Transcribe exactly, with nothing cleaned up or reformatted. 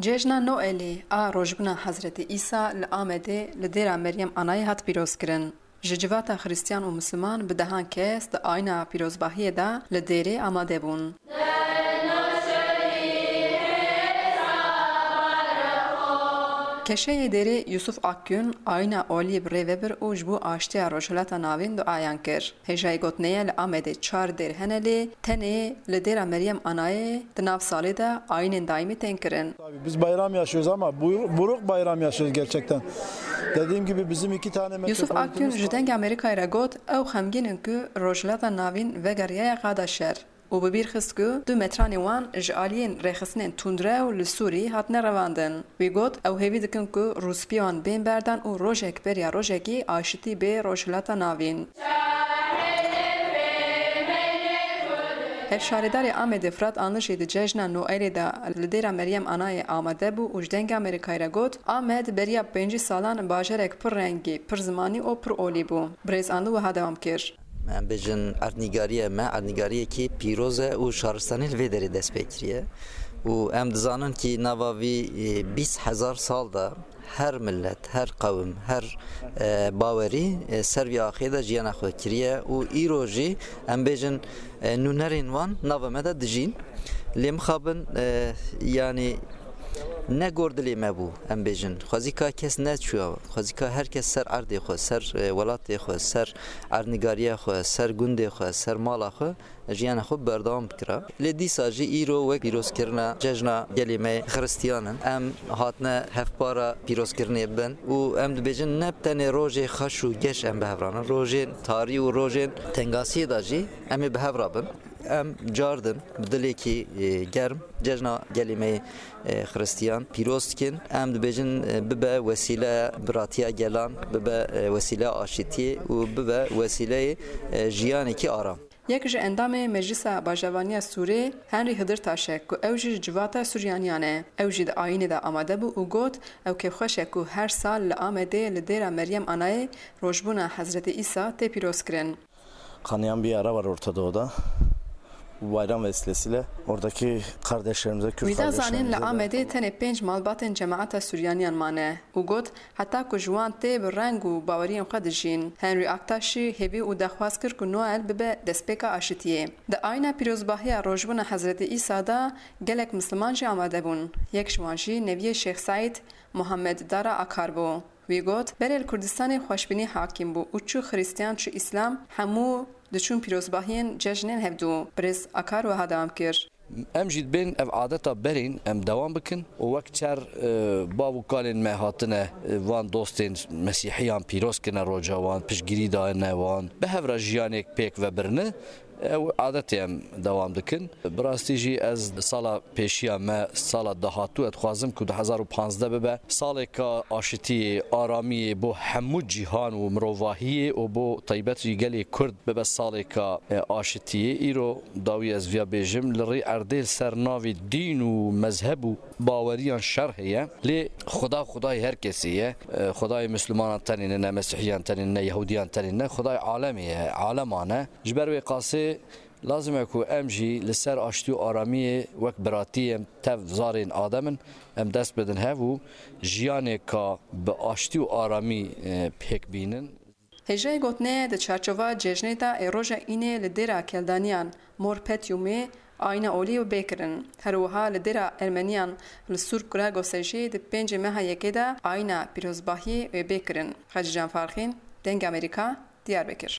Cejna Noelê a rojbûna Hezretî Îsa li Amedê li dêra Meryem Anayê hat pîrozkirin. Ji civata Xristiyan û Misliman bi dehan kes di ayîna pîrozbahiyê de li dêrê amade bûn. Keşeyê dêrê Yusuf Akgün ayîna oliyê bi rê ve bir û ji bo aştiya Rojhilata Navîn duayan kir. Hêjayî gotinê ye li Amedê çar dêr hene lê tenê li dêra Meryem Anayê di nav salê de ayînên daîmî tên kirin. Tabii biz bayram yaşıyoruz ama buyur- buruk bayram yaşıyoruz gerçekten. Dediğim gibi bizim iki tane Yusuf metropolitemiz Akgün ji Dengê Amerîkayê re got, ew xemgîn in ku Rojhilata Navîn vegeriyaye qada şer û bi bîr xist ku du metranê wan ji aliyên rêxistinên tundrew li Sûrî hatine revandin. Wî got, ew hêvî dikin ku rûspiyê wan bên berdan û rojek beriya rojekî aşitî bê Rojhilata Navîn. Hevşaredarê Amedê Fırat Anlı jî di cejna Noelê de li dêra Meryem Anayê amade bû û ji Dengê Amerîkayê re got, Amed beriya pêncî salan bajarek pir rengî, pir zimanî û pir olî bû. Birêz Anlı wiha dewam kir. Em bêjin erdnîgariye me, erdnîgariyekî pîroz e û şaristanî li vê derê dest pê kiriye. Û em dizanin kî nava vî, e, bîst hezar sal de her millet, her qewim, her, e, bawerî, e, ser vî axê de jiyana xwe kiriye û îro jî em bêjin, e, nûnerên wan nava me de dijîn. Lê mixabin, e, yanî ne gor dilê me bû, em bêjin. Xwezîka kes neçûya, xwezîka her kes ser erdê xwe, ser, e, welatê xwe, ser erdnîgariya xwe, ser gundê xwe, ser mala xwe jiyana xwe berdewam bikira. Lê dîsa jî îro wek pîrozkirina cejna gelê me xiristiyan in. Em hatine hevpara pîrozkirinê bin û em dibêjin ne tenê rojê xweş û geş em bi hev re nin. Rojên tarî û rojên tengasiyê de jî em ê bi hev re bin. Em cardin bi dilekî, e, germ cejna gelê me, e, xiristiyan pîroz dikin. Em dibêjin, e, bibe wesîle biratiya gelan, bibe, e, wesîle aşitiyê û bibe wesîleyê, e, jiyanekî aram. Yek ji endamê Meclisa Bajavaniya Sûrê Henrî Hidirtaş e ku ew jî ji civata Suryaniyan e. Ew jî di ayînê de amade bû û got, ew kêfxweş e ku her sal li Amedê li dêra Meryem Anayê rojbûna Hezretî Îsa tê pîrozkirin. Kanayan bir ara var Orta Doğu'da. Bu bayram vesilesiyle oradaki kardeşlerimize, Kürt Wî da zanîn li kardeşlerimize de Amedê tenê pênc malbatên cemaeta Suryaniyan mane û got, heta ku ji wan tê bi reng û baweriyên xwe dijîn. Henry Aktaş jî hêvî û daxwaz kir ku Noel bibe destpêka aşitiyê. Di ayna pîrozbahiya rojbûna Hezretî Îsa de gelek Misliman jî amade bûn. Yek ji wan jî neviyê Şêx Seîd Muhammed Dara Akar bû. Wî got, berê li Kurdistanê xweşbînî hakîm bû û çi Xiristiyan çi Îslam hemû diçûn pîrozbahiyên cejnên hevdû. Birêz Akar wiha dewam kir. Em jî dibên ev adeta berîn em dewam bikin û wek çer, e, bav û kalên me hatine, e, van dostên mesîhiyan pîroz kirine roja wan, piştgirî dayine wan, bi hev re jiyanek pêk vebirine. Ew adetê em dewam dikin. Bi rastî jî ez sala pêşiya me, sala dahatû, ez dixwazim ku du hezar û panzdeh bibe salêka aşitiyê, aramiyê bo hemû cîhan û mirovahiyê û bo taybet jî gelê Kurd bibe salêka, e, aşitiyê. Îro dawî ez viya bêjim, li rî erdê li ser navê dîn û mezheb û baweriyan şer heye. Lê Xuda, Xudayê her kesê ye. E, Xudayê Mislimanan tenê nine, Mesîhiyan tenê nine, Yehudiyan tenê nine. Xudayê alemê ye, aleman e. Ji ber wê qasê lazim e ku em jî li ser aştî û aramiyê wek biratî em tev zarên Adem in, em dest bidin hev û jiyaneka bi aştî û aramî, e, pêk bînin. Hêjayê gotinê di çarçova cejnê de ê roja înê li dêra Keldaniyan Morpetyumê ayîna olî wê bê kirin. Her wiha li dêra Ermeniyan li Sûr Kuragosê jî di pêncê meha yekê de ayîna pîrozbahiyê wê bê kirin. Xecîcan Farxîn, Dengê Amerîka, Diyarbekir.